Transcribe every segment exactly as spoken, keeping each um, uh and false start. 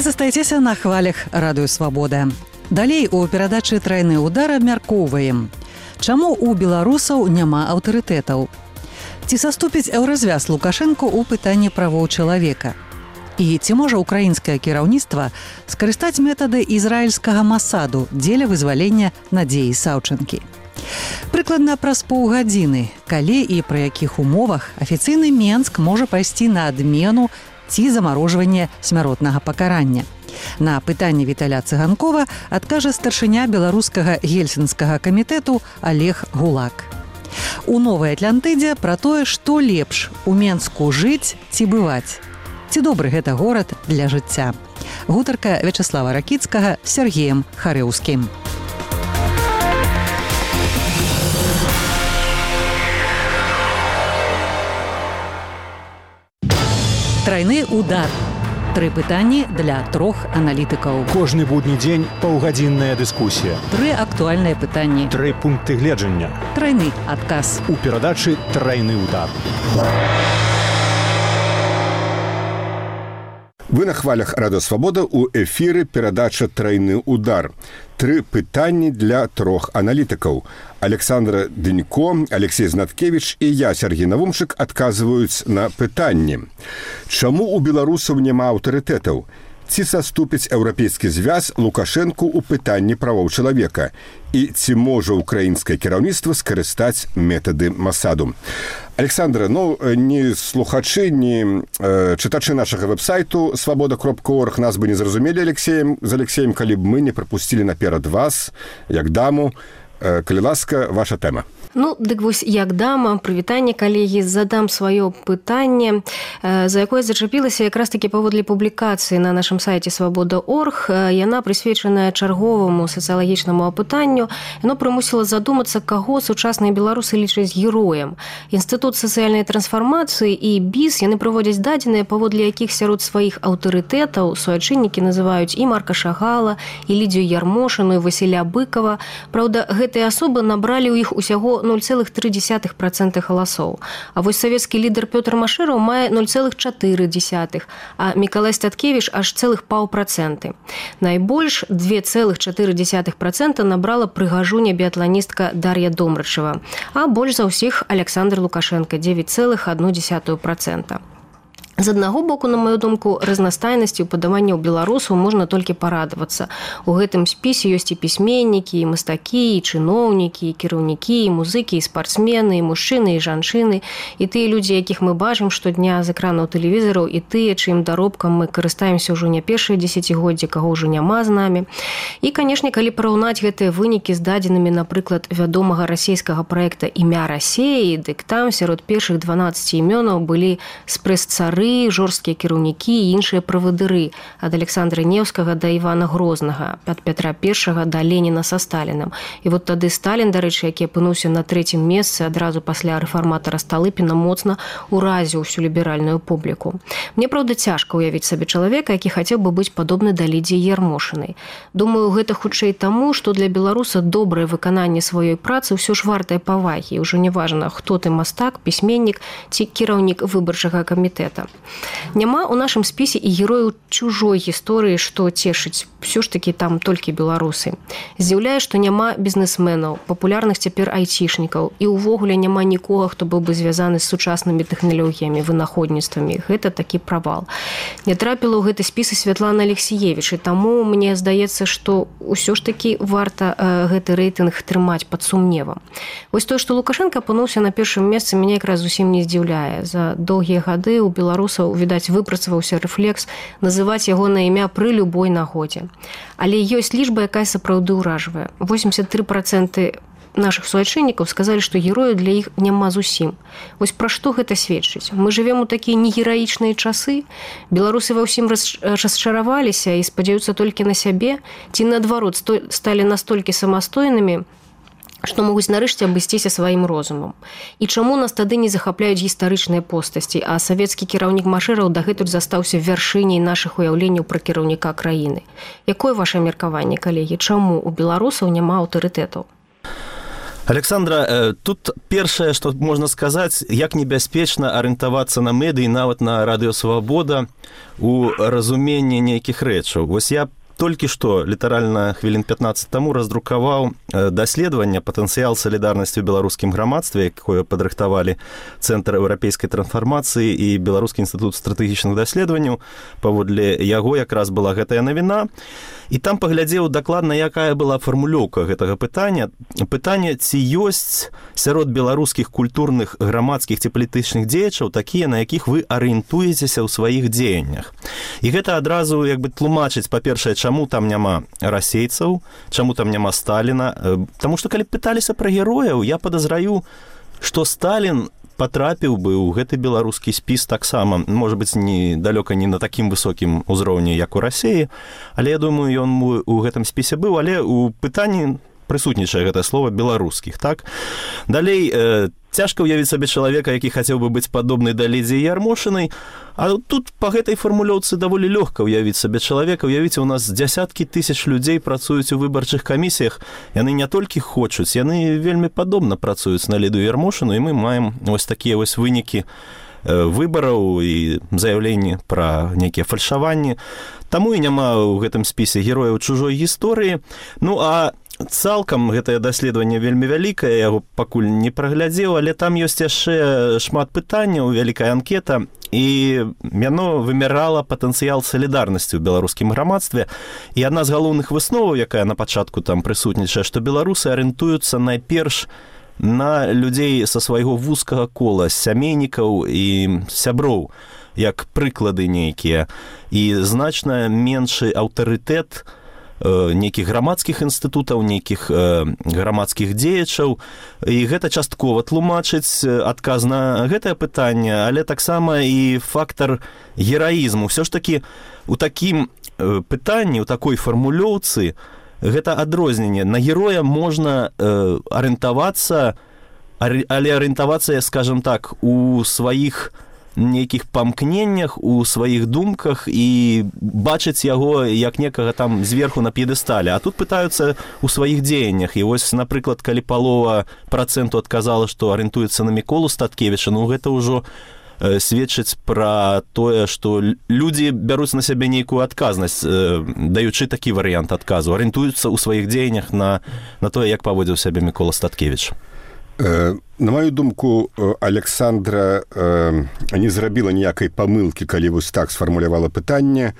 застаецеся на хвалях радыё Свабода. Далей у перадачы «Трайны ўдар» абмяркоўваем. Чаму у беларусаў няма аўтарытэтаў? Ці саступіць еўразвяз Лукашэнку ў пытанні правоў чалавека? І ці можа украінскае кіраўніцтва скарыстаць метады ізраільскага Масаду дзеля вызвалення Надзеі Саўчэнкі? Прыкладна праз паўгадзіны, калі і пры якіх умовах афіцыйны Менск можа пайсці на адмену ці замарожванне смяротнага пакарання. На пытанне Віталя Цыганкова адкажа старшыня беларускага гельсінскага камітэту Олег Гулак. У Новай Атлантыдзе пра тое, што лепш у Менску жыць ці бываць. Ці добры гэта горад для жыцця. Гутарка Вячаслава Ракіцкага з Сергеем Харэўскім. Трайны удар. Тры пытанні для трох аналітыкаў. Кожны будні дзень паўгадзінная дыскусія. Тры актуальныя пытанні. Тры пункты гледжання. Трайны адказ. У перадачы «Трайны удар». Вы на хвалях радыё Свабода, у эфіры перадача «Трайны удар». Тры пытанні для трох аналітыкаў. Александра Дынько, Алексей Знаткевич і я, Сергей Навумчык, адказваюць на пытанні. Чаму у беларусаў няма аўтарытэтаў? Ці саступіць еўрапейскі звяз Лукашэнку ў пытанні правоў чалавека? І ці можа украінскае кіраўніцтва скарыстаць метады Масаду? Александра, ну, ні слухачы, ні э, чытачы нашага вэб-сайту свабода кропка орг нас бы не зразумелі Алексеем, з Алексеем, калі б мы не прапусцілі наперад вас, як даму. Э, калі ласка, ваша тэма. Ну, дык вось, як дама, прывітанне, калегі, задам сваё пытанне, за якое зачапілася якраз такі паводле публікацыі на нашым сайце свабода кропка орг. Яна прысвечаная чарговаму сацыялагічнаму апытанню. Яно прымусіла задумацца, каго сучасныя беларусы лічаць героем. Інстытут сацыяльнай трансфармацыі і БІС, яны прыводзяць дадзеныя, паводле якіх сярод сваіх аўтарытэтаў суайчыннікі называюць і Марка Шагала, і Лідзію Ярмошыну, і Васіля Быкова. Праўда, гэтыя асобы набралі ў іх усяго нуль цэлых тры дзесятых працэнта галасоў. А вось савецкі лідар Пётр Машэраў мае нуль цэлых чатыры дзесятых, а Мікалай Статкевіч аж цэлых паўпрацэнты. Найбольш два цэлых чатыры дзесятых працэнта набрала прыгажуня біятланістка Дар'я Домрачева, а больш за ўсіх Александр Лукашенко дзевяць цэлых адну дзесятую працэнта. З аднаго боку, на маю думку, разнастайнасцю падаванняў беларусаў можна толькі парадавацца. У гэтым спісе ёсць і пісьменнікі, і мастакі, і чыноўнікі, і кіраўнікі, і музыкі, і спартсмены, і мужчыны, і жанчыны, і тыя людзі, якіх мы бачым штодня з экранаў тэлевізараў, і тыя, чым даробкам мы карыстаемся ўжо не першае дзесяцігоддзе, каго ўжо няма з намі. І, канешне, калі параўнаць гэтыя вынікі з дадзенымі, напрыклад, вядомага расійскага праекта «Імя Расеі», дык там сярод першых дванаццаці імёнаў былі спрэс-цары, жорсткія кіраўнікі і іншыя правадыры ад Александра Неўскага да Івана Грознага, ад Пятра Першага да Леніна са Сталінам. І вот тады Сталін, дарэчы, які апынуўся на трэцім месцы адразу пасля рэфарматара Сталыпіна, моцна уразіў усю ліберальную публіку. Мне, праўда, цяжка ўявіць сабе чалавека, які хацеў бы быць падобны да Лідзіі Ярмошынай. Думаю, гэта хутчэй таму, што для беларуса добрае выкананне сваёй працы ўсё ж вартае павагі. І ўжо не важна, хто ты мастак, пісьменнік ці кіраўнік выбарчага камітэта. Няма ў нашым спісе і герояў чужой гісторыі, што цешыць. Всё ж такі там толькі беларусы. Здзіўляе, што няма бізнесменаў, папулярных цяпер айцішнікаў, і ўвогуле няма нікога, хто быў бы звязаны з сучаснымі тэхналогіямі, вынаходніцтвамі. Гэта такі правал. Не трапіла ў гэты спіс і Святлана Алексіевіч, і таму мне здаецца, што ўсё ж такі варта э, гэты рэйтынг трымаць пад сумневам. Вось тое, што Лукашенко апынуўся на першым месцы, мяне якраз зусім не здзіўляе. За доўгія гады ў беларусаў, відаць, выпрацаваўся рэфлекс называць яго на імя пры любой нагодзе. Але ёсць лічба, якая сапраўды ўражвае. восемьдесят три процента наших суайчыннікаў сказалі, што герояў для іх няма зусім. Вось пра што гэта сведчыць? Мы жывем у такія негераічныя часы? Беларусы ва ўсім расчараваліся і спадзяюцца толькі на сябе? Ці, наадварот, сталі настолькі самастойнымі, што могуць нарэшце абысціся сваім розумам. І чаму нас тады не захапляюць гістарычныя постасці, а савецкі кіраўнік Машэраў дагэтуль застаўся вяршыняй нашых уяўленняў пра кіраўніка краіны? Якое ваше меркаванне, калегі? Чаму у беларусаў няма аўтарытэтаў? Александра, тут першае, што можна сказаць, як небяспечна арыентавацца на медыі, нават на радыё Свабода у разуменні нейкіх рэчаў. Вось я толькі што, літаральна хвілін пятнаццаць таму, раздрукаваў даследаванне «Патэнцыял салідарнасці ў беларускім грамадстве», якое падрыхтавалі Цэнтр еўрапейскай трансфармацыі і Беларускі інстытут стратэгічных даследаванняў. Паводле яго якраз была гэтая навіна. І там паглядзеў дакладна, якая была фармулёўка гэтага пытання. Пытанне, ці ёсць сярод беларускіх культурных, грамадскіх ці палітычных дзеячаў такія, на якіх вы арыентуецеся ў сваіх дзеяннях. І гэта адразу як бы тлумачыць, па-першае, чаму там няма расейцаў, чаму там няма Сталіна. Таму што калі пыталіся пра герояў, я падазраю, што Сталін патрапіў бы ў гэты беларускі спіс таксама, можа быць, не далёка не на такім высокім узроўні, як у Расіі, але я думаю, ён у гэтым спісе быў, але у пытанні прысутнічае гэтае слова беларускіх, так? Далей, э, цяжка ўявіць сабе чалавека, які хацеў бы быць падобны да Лідзіі Ярмошынай, а тут па гэтай фармулёўцы даволі лёгка ўявіць сабе чалавека. Уявіце, у нас дзясяткі тысяч людзей працуюць у выбарчых камісіях, яны не толькі хочуць, яны вельмі падобна працуюць на Лідію Ярмошыну, і мы маем вось такія вось вынікі выбараў і заяўленні пра нейкія фальшаванні. Таму і няма ў гэтым спісе герояў чужой гісторыі. Ну, а цалкам гэтае даследаванне вельмі вялікае, я яго пакуль не праглядзеў, але там ёсць яшчэ шмат пытанняў, вялікая анкета, і яно вымярала патэнцыял салідарнасці ў беларускім грамадстве. І адна з галоўных высноваў, якая на пачатку там прысутнічае, што беларусы арыентуюцца найперш на людзей са свайго вузкага кола, сямейнікаў і сяброў, як прыклады нейкія, і значна меншы аўтарытэт нейкіх грамадскіх інстытутаў, нейкіх грамадскіх дзеячаў. І гэта часткова тлумачыць адказ на гэтае пытанне, але таксама і фактар гераізму. Усё ж такі у такім пытанні, у такой фармулёўцы, гэта адрозненне. На героя можна арыентавацца, але арыентавацца, скажам так, у сваіх нейкіх памкненнях, у сваіх думках і бачыць яго як некага там зверху на п'едэстале. А тут пытаюцца у сваіх дзеяннях. І вось, напрыклад, калі палова працэнту адказала, што арыентуецца на Міколу Статкевіча, ну гэта ўжо сведчыць пра тое, што людзі бяруць на сябе нейкую адказнасць, даючы такі варыянт адказу, арыентуюцца ў сваіх дзеяннях на, на тое, як паводзіў сябе Мікола Статкевіч. На маю думку, Александра не зрабіла ніякай памылкі, калі вось так сфармулявала пытанне.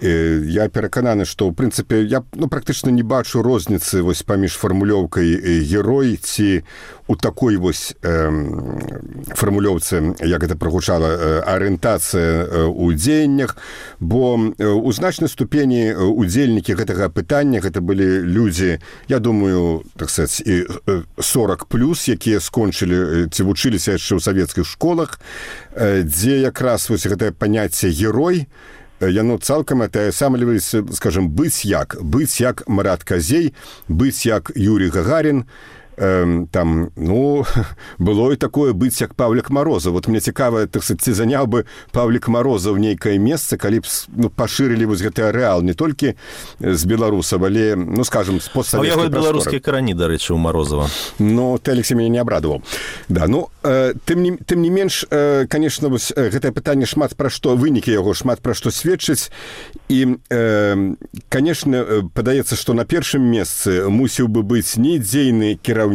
Я перакананы, што, ў прынцыпе, я ну, практычна не бачу розніцы вось паміж фармулёўкай герой ці у такой вось э, фармулёўцы, як гэта прагучала, арыентацыя ў дзеяннях, бо у значнай ступені удзельнікі гэтага пытання гэта былі людзі, я думаю, так сказаць, і сорок плюс, якія скончылі ці вучыліся яшчэ ў савецкіх школах, дзе якраз вось гэтае паняцце герой, яно цалкам атаясамліваецца, скажем, быць як, быць як Марат Казей, быць як Юрий Гагарин, э, там, ну, было і такое быць як Павлік Марозаў. Вот мне цікава, так сказать, ці заняў бы Павлік Марозаў нейкае месца, калі б ну, пашырылі вось гэты арэал не толькі з беларусаў, але, ну, скажем, з постсавецкай прасторы. А яго беларускія карані, дарэчы, у Марозава. Ну, ты, Алексей, мяне не абрадаваў. Да, ну, э, тым, не, тым не менш, э, конечно, вось гэтае пытанне шмат пра што, вынікі яго шмат пра што сведчыць. І, э, конечно, падаецца, што на першым месцы мусіў бы быць не дзейны кіраўнік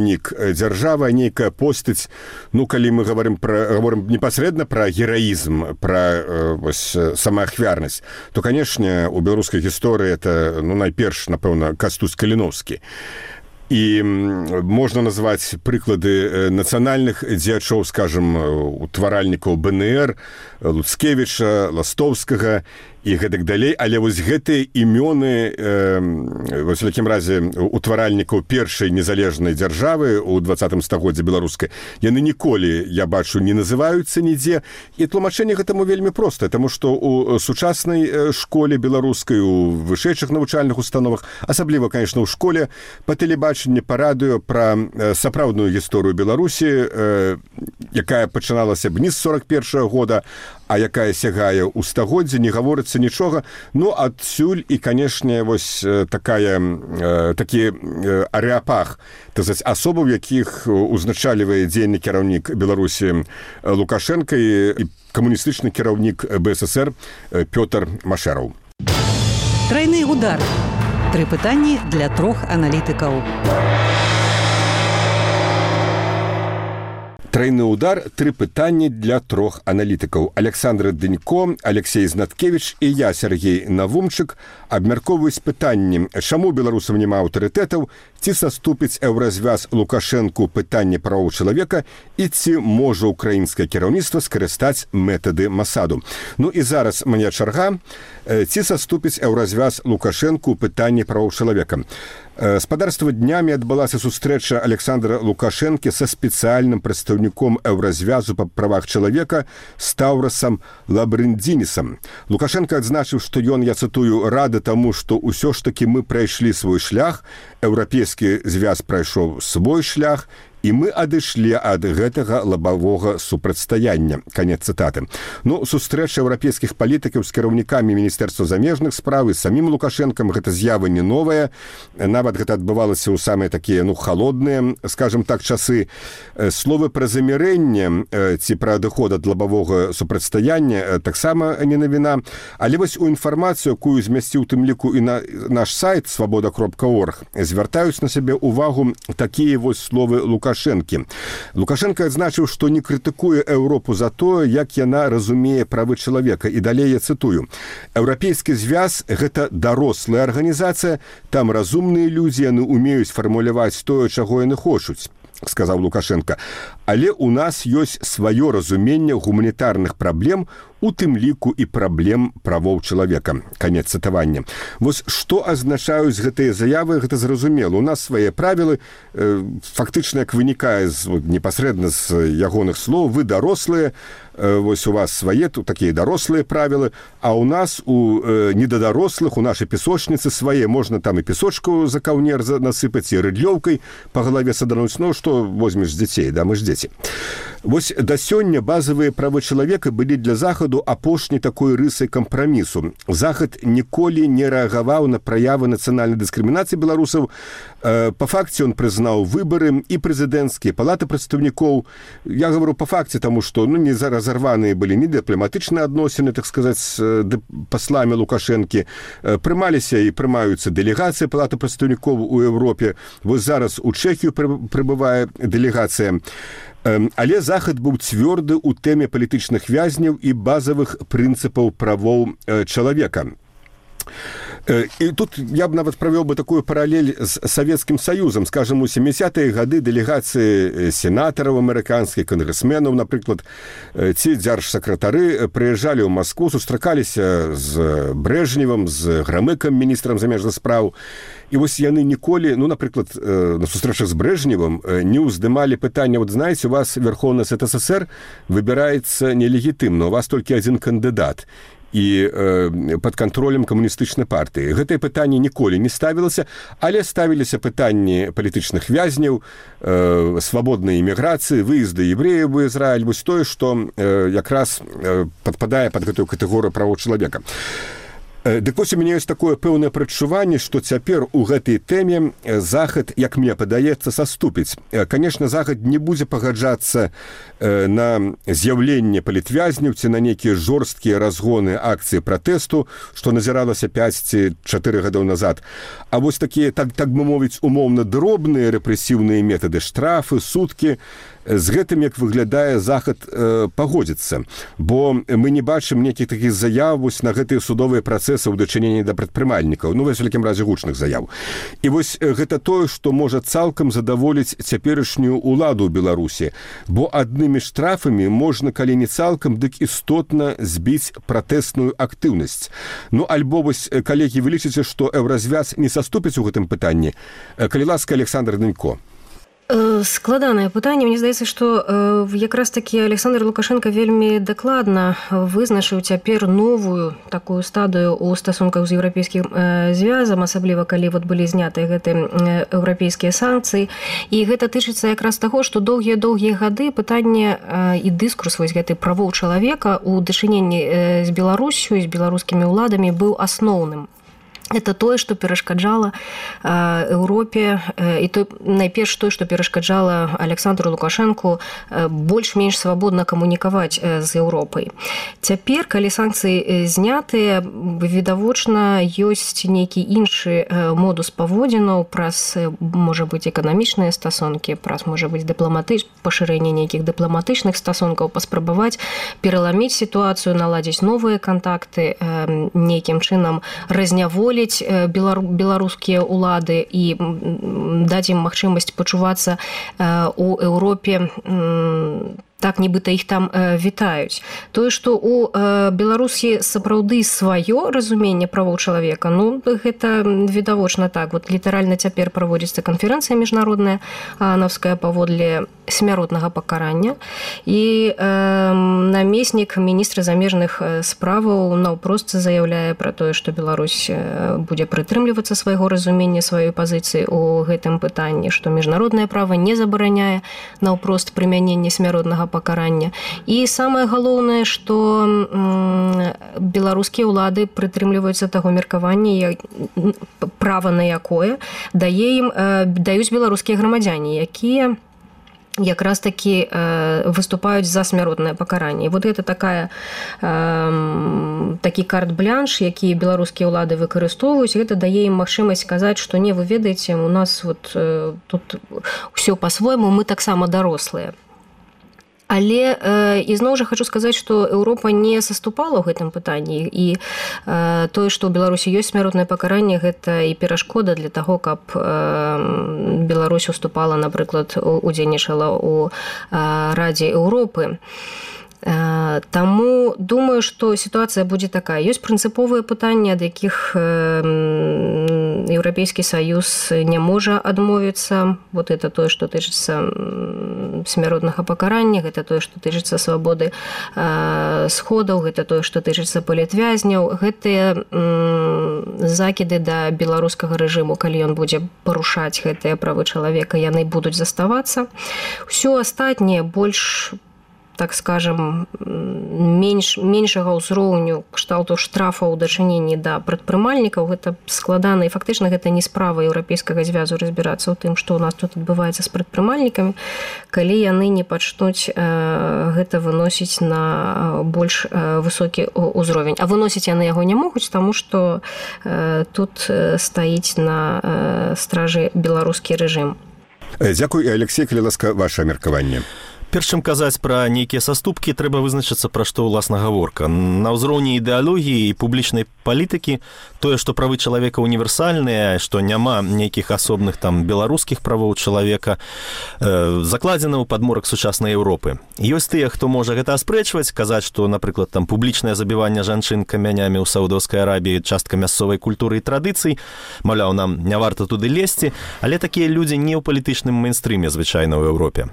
дзяржавы, а нейкая постаць, ну, калі мы говорим пра, говорим непасрэдна пра гераізм, пра э, вось, самаахвярнасць, то, конечно, у беларускай гісторыі это, ну, найперш, напэўна, Кастусь Каліновскі. І можна назваць прыклады нацыянальных дзеячоў, скажем, утваральнікаў бэ эн эр, Луцкевіча, Ластовскага і гэтак далей, але вось гэтыя імёны, э, вось у такім разе утваральнікаў першай незалежнай дзяржавы ў двадцатым стагоддзі беларускай, яны ніколі, я бачу, не называюцца нідзе, і тлумачэнне гэтаму вельмі простае, таму што ў сучаснай школе беларускай, у вышэйшых навучальных установах, асабліва, конечно, ў школе, па тэлебачанні, па радыё пра сапраўдную гісторыю Беларусі, э, якая пачыналася б не з сорок першага года, а якая сягае ў стагоддзе, не гаворыцца застаецца нічога. Ну, адсюль і, канешне, вось такая, такі арэапах, так сказать, асобаў, якіх узначалівае дзейны кіраўнік Беларусі Лукашенко і камуністычны кіраўнік БССР Пётр Машэраў. Трайны удар. Тры пытанні для трох аналітыкаў. Трайны удар, тры пытанні для трох аналітыкаў. Александр Дынько, Алексей Знаткевич і я, Сергей Навумчык, абмяркоўваюць пытанні, чаму беларусам няма аўтарытэтаў, ці саступіць еўразвяз Лукашэнку пытанне правоў чалавека і ці можа ўкраінскае кіраўніцтва скарыстаць метады Масаду. Ну і зараз мне чарга, ці саступіць еўразвяз Лукашэнку пытанне правоў чалавека. Спадарства днямі адбылася сустрэча Александра Лукашэнкі са спецыяльным прадстаўніком еўразвязу па правах чалавека Стаўрасам Лабрындзінісам. Лукашенко адзначыў, што ён, я цытую, рады таму, што ўсё ж такі мы прайшлі свой шлях, еўрапейскі звяз прайшоў свой шлях, і мы адышлі ад гэтага лабавога супрацьстаяння. Канец цытаты. Ну, сустрэча еўрапейскіх палітыкаў з кіраўнікамі Міністэрства замежных спраў і самім Лукашэнкам гэта з'ява не новая. Нават гэта адбывалася ў самыя такія, ну, халодныя, скажем так, часы. Словы пра замірэнне ці пра адыход ад лабавога супрацьстаяння таксама не навіна. Але вось у інфармацыю, якую змясціў тым ліку і на наш сайт свабода кропка орг, звяртаюць на сябе ўвагу такія вось словы Лукашэнкі. Лукашенко адзначыў, што не крытыкуе Еўропу за тое, як яна разумее правы чалавека. І далей я цытую. Еўрапейскі звяз – гэта дарослая арганізацыя, там разумныя людзі, яны умеюць фармуляваць тое, чаго яны хочуць, сказаў Лукашенко. Але ў нас ёсць сваё разуменне гуманітарных праблем, у тым ліку і праблем правоў чалавека. Канец цытавання. Вось што азначаюць гэтыя заявы, гэта зразумела. У нас свае правілы, э, фактычна, як вынікае з, непасрэдна з ягоных слоў, вы дарослыя, э, вось у вас свае, тут такія дарослыя правілы, а у нас, у э, недадарослых, у нашай песочніцы свае, можна там і песочку за каўнер насыпаць, і рыдлёўкай па галаве садануць, ну, што возьмеш з дзяцей, да, мы ж дзеці. Вось да сёння базавыя правы чалавека былі для Захаду апошняй такой рысай кампрамісу. Захад ніколі не рэагаваў на праявы нацыянальнай дыскрымінацыі беларусаў. Э, па факце ён прызнаў выбары і прэзідэнцкія палаты прадстаўнікоў. Я гавару па факце, таму што, ну, не разарваныя былі не дыпламатычныя адносіны, так сказаць, з пасламі Лукашэнкі. Э, прымаліся і прымаюцца дэлегацыі палаты прадстаўнікоў у Еўропе. Вось зараз у Чэхію прыбывае дэлегацыя. Але Захад быў цвёрды ў тэме палітычных вязняў і базавых прынцыпаў правоў чалавека. І тут я б нават правёў бы такую паралель з Савецкім Саюзам. Скажем, у сямідзесятыя гады дэлегацыі сенатараў амерыканскіх, кангрэсменаў, напрыклад, ці дзяржсакратары прыязджалі ў Маскву, сустракаліся з Брэжневым, з Грамыкам, міністрам замежных спраў. І вось яны ніколі, ну, напрыклад, на сустрэчах з Брэжневым не ўздымалі пытання, вот знаеце, у вас Верховны Суд СССР выбіраецца нелегітымна, у вас толькі адзін кандыдат і э, пад кантролем камуністычнай партыі. Гэтае пытанне ніколі не ставілася, але ставіліся пытанні палітычных вязняў, э, свабоднай іміграцыі, выезды евреяў у Ізраіль, вось тое, што э, якраз э, падпадае пад гэтую катэгорыю правоў чалавека. Дык вось у мяне ёсць такое пэўнае прадчуванне, што цяпер у гэтай тэме Захад, як мне падаецца, саступіць. Канешне, Захад не будзе пагаджацца на з'яўленне палітвязняў ці на нейкія жорсткія разгоны акцыі пратэсту, што назіралася пяць ці чатыры гадоў назад. А вось такія, так, так бы мовіць, умоўна дробныя рэпрэсіўныя метады, штрафы, суткі, з гэтым, як выглядае, Захад э, пагодзіцца. Бо мы не бачым нейкіх такіх заяў вось на гэтыя судовыя працэсы ў дачыненні да прадпрымальнікаў, ну, вось, у вялікім разе, гучных заяў. І вось гэта тое, што можа цалкам задаволіць цяперашнюю ўладу ў Беларусі. Бо аднымі штрафамі можна, калі не цалкам, дык істотна збіць пратэсную актыўнасць. Ну, альбо вось, калегі, вы лічыце, што еўразвяз не саступіць у гэтым пытанні? Калі ласка, Александр Дынько. Складанае пытанне. Мне здаецца, што якраз такі Александр Лукашенко вельмі дакладна вызначыў цяпер новую такую стадыю ў стасунках з еўрапейскім звязам, асабліва калі вот былі знятыя гэтыя еўрапейскія санкцыі. І гэта тычыцца якраз таго, што доўгія-доўгія гады пытанне і дыскурс вось гэтай правоў чалавека ў дачыненні з Беларусю і з беларускімі ўладамі быў асноўным. Это тое, што перашкаджала Еўропе, і то, найперш тое, што перашкаджала Александру Лукашэнку больш-менш свабодна камунікаваць з Еўропай. Цяпер, калі санкцыі знятыя, відавочна, ёсць нейкі іншы модус паводзінаў праз, можа быць, эканамічныя стасункі, праз, можа быць, дыпламатыч... пашырэнне нейкіх дыпламатычных стасункаў, паспрабаваць пераламіць сітуацыю, наладзіць новыя кантакты, нейкім чынам разняволіць беларускія ўлады і даць ім магчымасць пачувацца ў Еўропе так, нібыта іх там вітаюць. Тое, што ў Беларусі сапраўды сваё разуменне правоў чалавека, ну, гэта відавочна так. Вот літаральна цяпер праводзіцца канферэнцыя міжнародная аанаўская паводле смяротнага пакарання. І э, намеснік міністра замежных справаў наўпрост заяўляе пра тое, што Беларусь будзе прытрымлівацца свайго разумення, сваёй пазіцыі ў гэтым пытанні, што міжнароднае права не забараняе наўпрост прымяненне смяротнага пакарання. І самае галоўнае, што беларускія ўлады прытрымліваюцца таго меркавання, права на якое дае ім, даюць беларускія грамадзяне, якія якраз такі э, выступаюць за смяротнае пакаранне. І вот гэта такая, э, такі карт-блянш, які беларускія ўлады выкарыстоўваюць, гэта дае ім магчымасць сказаць, што не, вы ведаеце, у нас вот, э, тут ўсё па-свойму, мы таксама дарослыя. Але э, ізноў жа хочу сказаць, што Еўропа не саступала ў гэтым пытанні, і э, тое, што ў Беларусі ёсць смяротнае пакаранне, гэта і перашкода для таго, каб э, Беларусь уступала, напрыклад, удзельнічала ў э, Радзе Еўропы. Таму думаю, што сітуацыя будзе такая. Ёсць прынцыповыя пытанні, ад якіх Еўрапейскі Саюз не можа адмовіцца. Вот это тое, што тычыцца смяротнага пакарання, гэта тое, што тычыцца свабоды сходаў, гэта тое, што тычыцца палітвязняў. Гэтыя закіды да беларускага рэжыму, калі ён будзе парушаць гэтыя правы чалавека, яны будуць заставацца. Усё астатняе больш, так скажем, менш, меншага ўзроўню кшталту штрафаў у дачыненні да прадпрымальнікаў, гэта складана, і фактычна гэта не справа еўрапейскага звязу разбірацца ў тым, што ў нас тут адбываецца з прадпрымальнікамі, калі яны не пачнуць э, гэта выносіць на больш э, высокі ўзровень. А выносіць яны яго не могуць, таму што э, тут стаіць на э, стражы беларускі рэжым. Дзякуй, Алексей, калі ласка, ваше меркаванне. Перш чым казаць пра нейкія саступкі, трэба вызначыцца, пра што ўласна гаворка. На ўзроўні ідэалогіі і публічнай палітыкі тое, што правы чалавека універсальныя, што няма нейкіх асобных там беларускіх правоў чалавека, э, закладзена ў падмурак сучаснай Еўропы. Ёсць тыя, хто можа гэта аспрэчваць, казаць, што, напрыклад, там публічнае забіванне жанчын камянямі ў Саудаўскай Арабіі частка мясцовай культуры і традыцый, маўляў, нам не варта туды лезці, але такія людзі не ў палітычным мейнстрыме звычайна ў Еўропе.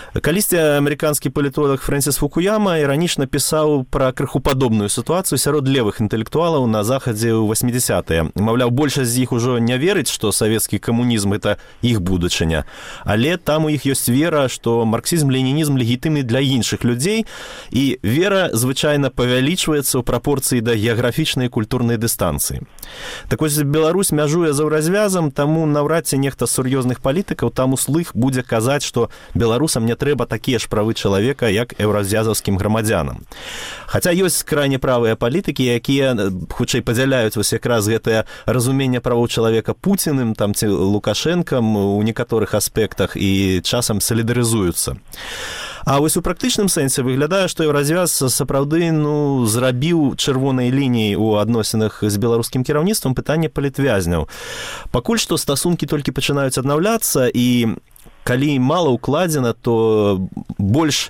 Калісьці амерыканскі палітолог Фрэнсіс Фукуяма іранічна пісаў пра крыху падобную сітуацыю сярод левых інтэлектуалаў на захадзе ў восьмідзясятыя. Маўляў, большасць з іх ужо не верыць, што савецкі камунізм – гэта іх будучыня. Але там у іх ёсць вера, што марксізм-ленінізм легітымны для іншых людзей, і вера звычайна павялічваецца ў прапорцыі да геаграфічнай і культурнай дыстанцыі. Так вось, Беларусь мяжуе за ўразвязам, таму наўрад ці нехта з сур'ёзных палітыкаў там услых будзе казаць, што беларусам не трэба такія ж правы чалавека, як еўразвязаўскім грамадзянам. Хаця ёсць крайне правыя палітыкі, якія хутчэй падзяляюць вось якраз гэтае разуменне правоў чалавека Пуціным, там ці Лукашэнкам у некаторых аспектах і часам салідарызуюцца. А вось у практычным сэнсе выглядае, што еўразвяз сапраўды ну, зрабіў чырвонай лініяй у адносінах з беларускім кіраўніцтвам пытанне палітвязняў. Пакуль што стасункі толькі пачынаюць аднаўляцца, і калі мала ўкладзена, то больш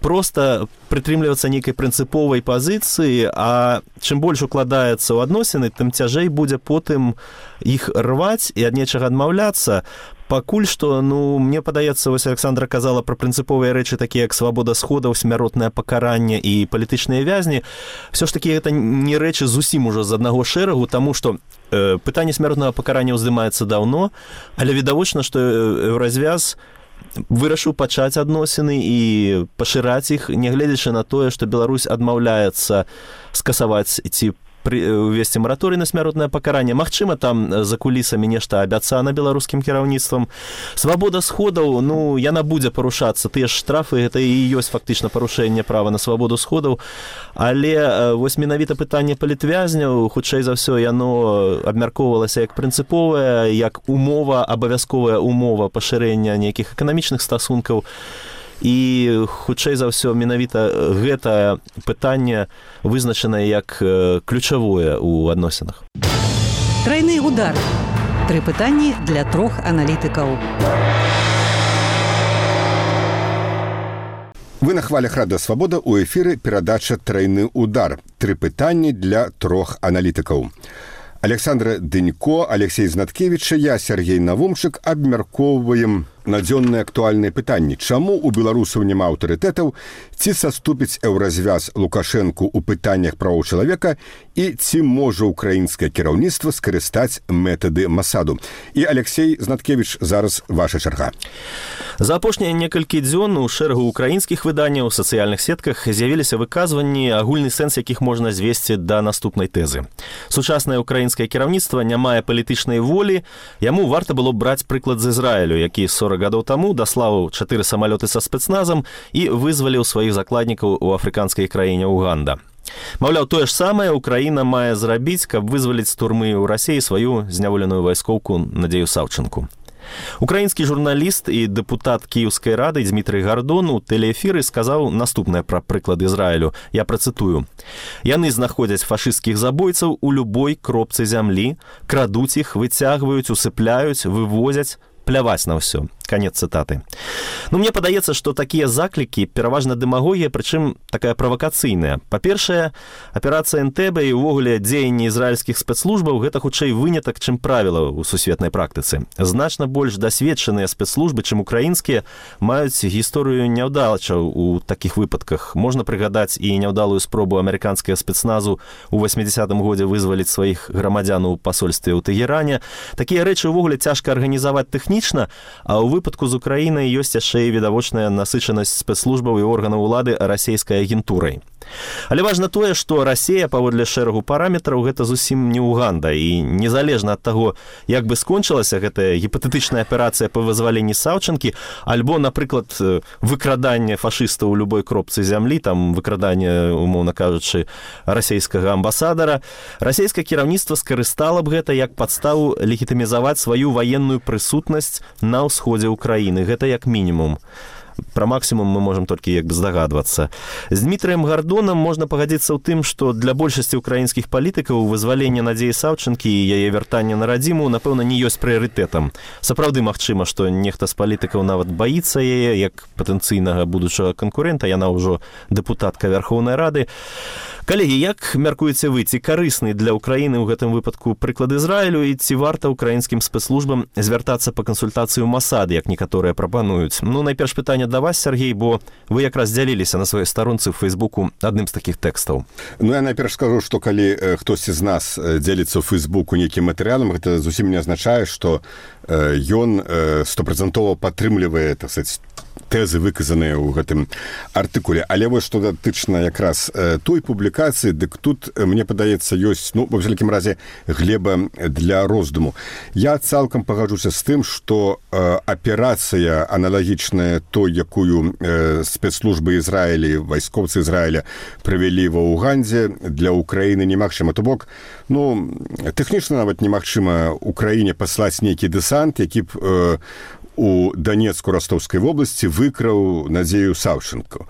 просто прытрымлівацца нейкай прынцыповай пазіцыі, а чым больш укладаецца ў адносіны, тым цяжэй будзе потым іх рваць і ад нечага адмаўляцца. Пакуль што, ну, мне падаецца, вось Александра казала пра прынцыповыя рэчы, такія як свабода сходаў, смяротнае пакаранне і палітычныя вязні. Всё ж такі гэта не рэчы зусім ужо з аднаго шэрагу, таму што э, пытанне смяротнага пакарання ўздымаецца даўно, але відавочна, што Еўразвяз вырашыў пачаць адносіны і пашыраць іх, нягледзячы на тое, што Беларусь адмаўляецца скасаваць ці увесці мараторый на смяротнае пакаранне. Магчыма, там за кулісамі нешта абяцана беларускім кіраўніцтвам. Свабода сходаў, ну, яна будзе парушацца. Тыя ж штрафы, гэта і ёсць фактычна парушэнне права на свабоду сходаў. Але вось менавіта пытанне палітвязняў, хутчэй за ўсё, яно абмяркоўвалася як прынцыповая, як умова, абавязковая умова пашырэння нейкіх эканамічных стасункаў. І хутчэй за ўсё менавіта гэта пытанне вызначанае як ключавое ў адносінах. Трайны удар. Тры пытанні для трох аналітыкаў. Вы на хвалях Радыё Свабода, у эфіры перадача «Трайны удар». Тры пытанні для трох аналітыкаў. Александра Дынько, Алексей Знаткевич, я, Сергей Навумчык, абмяркоўваем надзённыя актуальныя пытанні. Чаму у беларусаў няма аўтарытэтаў, ці саступіць Еўразвяз Лукашэнку ў пытаннях правоў чалавека і ці можа ўкраінскае кіраўніцтва скарыстаць метады Масаду. І, Алексей Знаткевич, зараз ваша чарга. За апошнія некалькі дзён у шэрагу украінскіх выданняў у сацыяльных сетках з'явіліся выказванні, агульны сэнс якіх можна звесці да наступнай тэзы. Сучаснае украінскае кіраўніцтва не мае палітычнай волі, яму варта было браць прыклад з Ізраілю, які сорок гадоў таму даслаў чатыры самалёты са спецназам і вызваліў сваіх закладнікаў у афрыканскай краіне Уганда. Маўляў, тое ж самае Украіна мае зрабіць, каб вызваліць з турмы ў Расіі сваю зняволеную вайскоўку Надзею Саўчынку. Украінскі журналіст і дэпутат Кіеўскай рады Дзмітрый Гардон у тэлеэфіры сказаў наступнае пра прыклад Ізраілю. Я працытую. Яны знаходзяць фашысцкіх забойцаў у любой кропцы зямлі, крадуць іх, выцягваюць, усыпляюць, вывозяць, пляваць на ўсё. Канец цытаты. Ну, мне падаецца, што такія заклікі пераважна дэмагогія, прычым такая правакацыйная. Па-першае, аперацыя Энтэбе і ўвогуле дзеянні ізраільскіх спецслужбаў гэта хутчэй вынятак, чым правіла ў сусветнай практыцы. Значна больш дасведчаныя спецслужбы, чым украінскія, маюць гісторыю няўдалачаў у такіх выпадках. Можна прыгадаць і няўдалую спробу амерыканскага спецназу ў восьмідзесятым годзе вызваліць сваіх грамадзян у пасольстве ў Тэгеране. Такія рэчы ўвогуле цяжка арганізаваць тэхнічна, а ў выпадку з Украінай ёсць яшчэ і відавочная насычанасць спецслужбаў і органаў улады расейскай агентурай. Але важна тое, што Расія, паводле шэрагу параметраў, гэта зусім не Уганда, і незалежна ад таго, як бы скончылася гэтая гіпатэтычная аперацыя па вызваленні Саўчынкі, альбо, напрыклад, выкраданне фашыстаў у любой кропцы зямлі, там выкраданне, умоўна кажучы, расейскага амбасадара, расейскае кіраўніцтва скарыстала б гэта як падставу легітымізаваць сваю ваенную прысутнасць на ўсходзе Украіны. Гэта як мінімум. Пра максімум мы можам толькі як бы здагадвацца. З Дмітрыем Гардонам можна пагадзіцца ў тым, што для большасці ўкраінскіх палітыкаў вызваленне Надзеі Саўчынкі і яе вяртанне на радзіму, напэўна, не ёсць прыярытэтам. Сапраўды магчыма, што нехта з палітыкаў нават баіцца яе, як патэнцыйнага будучага канкурэнта, яна ўжо дэпутатка Вярхоўнай Рады. Калегі, як мяркуеце вы, ці карысны для Украіны ў гэтым выпадку прыклад Ізраілю і ці варта ўкраінскім спецслужбам звяртацца па кансультацыю Масад, як некаторыя прапануюць? Ну, найперш пытанне да вас, Сергей, бо вы якраз дзяліліся на сваёй старонцы ў Фейсбуку адным з такіх тэкстаў. Ну, я найперш скажу, што калі хтосьці з нас дзеліцца ў Фейсбуку нейкім матэрыялам, гэта зусім не азначае, што ён стопрацэнтова падтрымлівае, так сказаць, тэзы, выказаныя ў гэтым артыкуле. Але вось што датычна якраз той публікацыі, дык тут, мне падаецца, ёсць, ну, ва ўсялякім разе, глеба для роздуму. Я цалкам пагаджуся з тым, што э, аперацыя аналагічная той, якую э, спецслужбы Ізраілі, вайскоўцы Ізраіля правялі ва Угандзе, для Украіны немагчыма. То бок, ну, тэхнічна нават немагчыма Украіне паслаць нейкі дэсант, які б э, у Данецку-Ростовскай вобласці выкраў Надзею Саўчынку.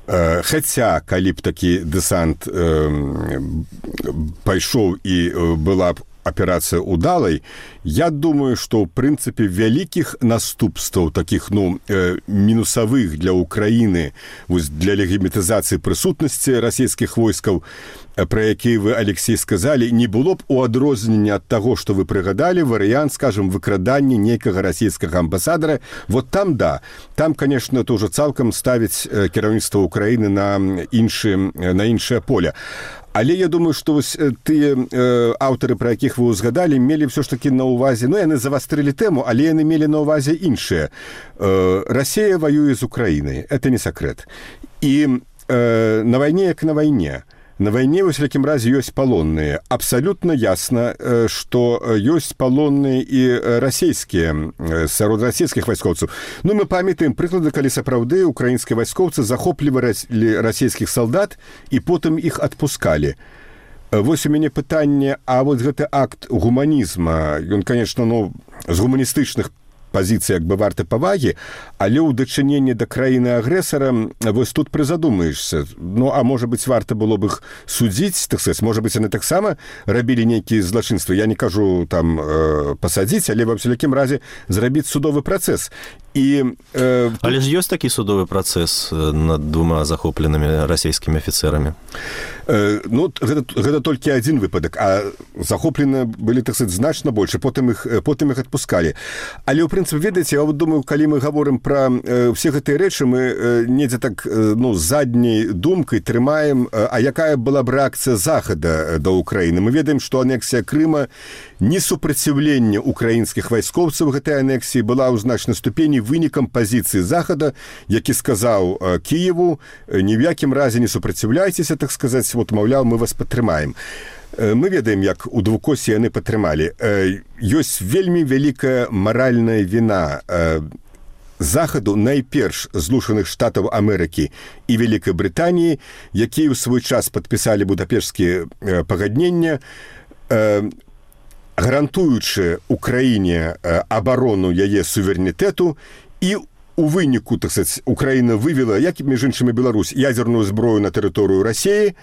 Хаця, калі б такі дэсант пайшоў і была б аперацыя удалай. Я думаю, што ў прынцыпе вялікіх наступстваў такіх ну мінусавых для Украіны для легімітызацыі прысутнасці расійскіх войскаў, про якія вы, Алексей, сказалі, не было б у адрозненне ад таго, што вы прыгадалі, варыянт, скажем, выкрадання нейкага расійскага амбасадара. Вот там, да, там, конечно, то ўжо цалкам ставіць кіраўніцтва Украіны на іншым, на іншае поле. Але я думаю, што вось тыя э, аўтары, пра якіх вы узгадалі, мелі ўсё ж такі на ўвазе, ну, яны завастрылі тэму, але яны мелі на ўвазе іншае. Э, Расія воюе з Украінай, это не сакрэт. І э, на вайне, як на вайне, на вайне, во всякім разе, ёсць палонныя. Абсалютна ясна, што ёсць палонныя і расійскія, сярод расійскіх вайскоўцаў. Ну, мы памятаем прыклады, калі сапраўды украінскія вайскоўцы захоплівалі расійскіх салдат і потым іх адпускалі. Вось у мяне пытанне, а вот гэты акт гуманізма, ён, конечно, ну, з гуманістычных пазіцыі як бы варты павагі, але ў дачыненні да краіны-агрэсара вось тут прызадумаешся. Ну, а можа быць, варта было б іх судзіць, так сказаць, можа быць, яны таксама рабілі нейкія злачынствы. Я не кажу там э, пасадзіць, але ва ўсялякім разе зрабіць судовы працэс. І, э, але ж ёсць такі судовы працэс над двума захопленымі расійскімі афіцэрамі? Э, ну, гэта, гэта толькі адзін выпадак, а захоплены былі, так сказаць, значна больш, потым іх, потым іх адпускалі. Але ў прынцыпе, ведаеце, я вот думаю, калі мы гаворым пра э, ўсе гэтыя рэчы, мы э, недзе так э, ну, задняй думкай трымаем, э, а якая была б рэакцыя Захада да Украіны. Мы ведаем, што анексія Крыма, не супраціўленне украінскіх вайскоўцаў гэтай анексіі была ў значнай ступені вынікам пазіцыі Захада, які сказаў э, Кіеву, ні в якім разе не супраціўляйцеся, так сказаць, вот, маўляў, мы вас падтрымаем. Мы ведаем, як у двукосі яны падтрымалі. Ёсць вельмі вялікая маральная віна Захаду, найперш Злучаных Штатаў Амерыкі і Вялікай Брытаніі, якія ў свой час падпісалі будапешцкія пагаднення, гарантуючы Украіне абарону яе суверэнітэту, і у выніку, так сказаць, Украіна вывела, як між іншымі Беларусь, ядзерную зброю на тэрыторыю Расіі,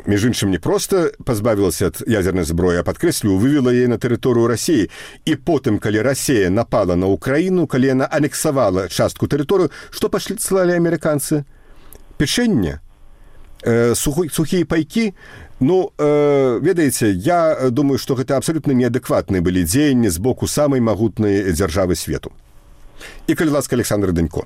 між іншым, не проста пазбавілася ад ядзернай зброі, а, падкрэслю, вывела яе на тэрыторыю Расіі. І потым, калі Расія напала на Украіну, калі яна анексавала частку тэрыторыю, што паслалі амерыканцы? Печэнне? Э, сухія пайкі? Ну, э, ведаеце, я думаю, што гэта абсалютна неадэкватныя былі дзеянні з боку самай магутнай дзяржавы свету. І, калі ласка, Александр Данько.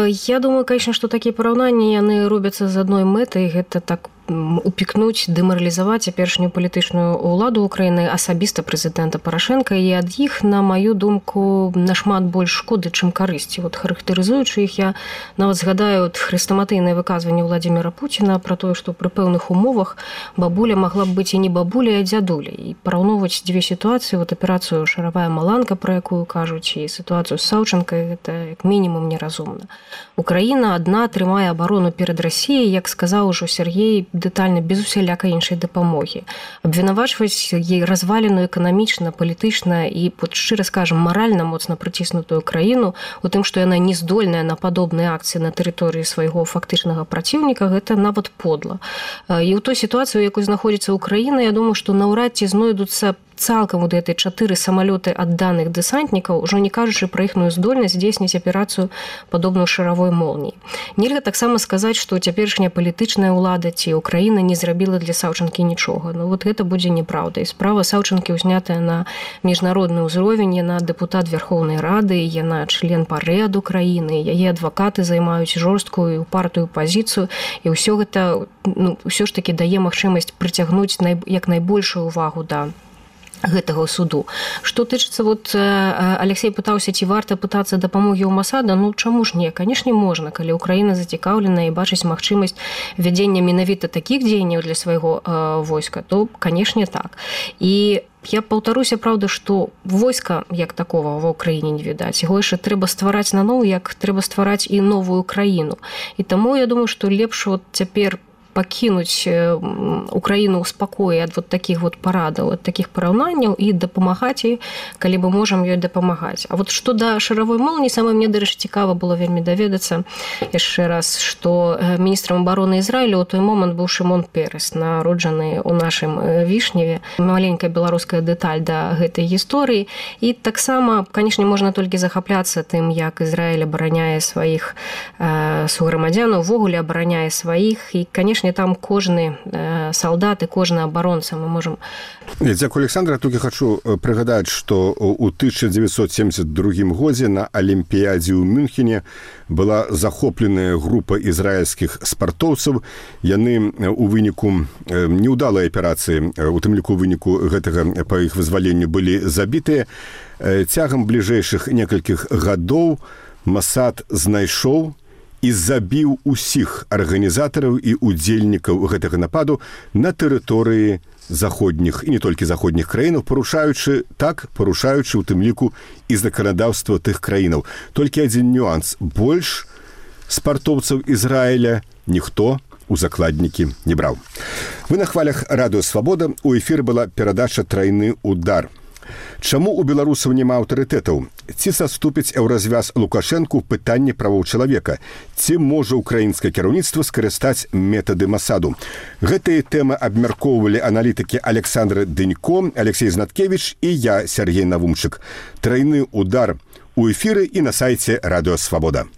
Я думаю, конечно, што такія параўнанні яны робяцца з адной мэтай, гэта так упікнуць, дэмаралізаваць цяперашнюю палітычную ўладу Украіны, асабіста прэзідэнта Парашенка, і ад іх, на маю думку, нашмат больш шкоды, чым карысці. Вот, характарызуючы іх, я нават згадаю от хрэстаматыйнае выказванне Владзіміра Пуціна пра тое, што пры пэўных умовах бабуля магла б быць і не бабуля, а дзядуля. І параўноўваць дзве сітуацыі, вот аперацыю «Шаравая маланка», пра якую кажуць, і сітуацыю з Саўчанкай, гэта як мінімум неразумна. Украіна адна трымае абарону перад Расіяй, як сказаў ужо Сергей, дэтальна, без усялякай іншай дапамогі. Абвінавачваць ей разваленую эканамічна, палітычна і, шчыра скажам, маральна моцна прыціснутую краіну у тым, што яна не здольная на падобныя акцыі на тэрыторыі свайго фактычнага праціўніка, гэта нават подла. І ў той сітуацыі, у якой знаходзіцца Украіна, я думаю, што наўрад ці знойдуцца цалкам вот гэтыя чатыры самалёты адданых дэсантнікаў, ужо не кажучы пра іхную здольнасць здзейсніць аперацыю падобную шаравой молніі. Нельга таксама сказаць, што цяперашняя палітычная ўлада ці Украіна не зрабіла для Саўчанкі нічога. Ну вот гэта будзе неправда. І справа Саўчанкі ўзнятая на міжнародны ўзровень, яна дэпутат Верхоўнай Рады, яна член ПАРЭ ад Украіны, яе адвакаты займаюць жорсткую і упартую пазіцыю, і ўсё гэта, ну, ўсё ж такі дае магчымасць прыцягнуць най... як найбольшую ўвагу да гэтага суду. Што тычыцца, вот Алексей пытаўся, ці варта пытацца дапамогі ў Масада, ну чаму ж не? Канешне, можна, калі Украіна зацікаўлена і бачыць магчымасць вядзення менавіта такіх дзеянняў для свайго э, войска, то, канешне, так. І я паўтаруся, праўда, што войска як такого ва ўкраіне не відаць. Яго яшчэ трэба ствараць наноў, як трэба ствараць і новую краіну. І таму я думаю, што лепш вот цяпер пакінуць Украіну ў спакоі ад вот такіх вот парадаў, ад такіх параўнанняў і дапамагаць ёй, калі мы можам ёй дапамагаць. А вот што да шаравой молніі, самае мне, дарэчы, цікава было вельмі даведацца яшчэ раз, што міністрам абароны Ізраілю ў той момант быў Шымон Перес, народжаны ў нашым Вішневе. Маленькая беларуская дэталь да гэтай гісторыі. І таксама, канешне, можна толькі захапляцца тым, як Ізраіль абараняе сваіх э, суграмадзянаў, увогуле абараняе сваіх. І, канешне, там кожны э, салдат і кожны абаронца мы можам... Дзякую, Александра. Толькі хачу прыгадаць, што ў тысяча дзевяцьсот семьдесят другім годзе на Алімпіядзе ў Мюнхене была захопленая група ізраільскіх спартоўцаў. Яны у выніку неўдалай аперацыі, у тым ліку выніку гэтага па іх вызваленню былі забітыя. Цягам бліжэйшых некалькіх гадоў Масад знайшоў і забіў усіх арганізатараў і удзельнікаў гэтага нападу на тэрыторыі заходніх і не толькі заходніх краінаў, парушаючы так, парушаючы у тым ліку і заканадаўства тых краінаў. Толькі адзін нюанс. Больш спартоўцаў Ізраіля ніхто у закладнікі не браў. Вы на хвалях Радыё Свабода. У эфіры была перадача «Трайны удар». Чаму у беларусаў няма аўтарытэтаў? Ці саступіць еўразвяз Лукашэнку ў пытанні правоў чалавека? Ці можа ўкраінскае кіраўніцтва скарыстаць метады Масаду? Гэтыя тэмы абмяркоўвалі аналітыкі Александр Дынько, Алексей Знаткевич і я, Сергей Навумчык. «Трайны удар» у эфіры і на сайце Радыё Свабода.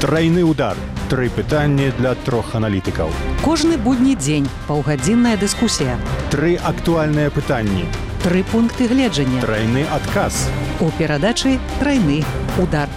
Трайны удар. Тры пытанні для трох аналітыкаў. Кожны будні дзень паўгадзінная дыскусія. Тры актуальныя пытанні. Тры пункты гледжання. Трайны адказ. У перадачы «Трайны удар».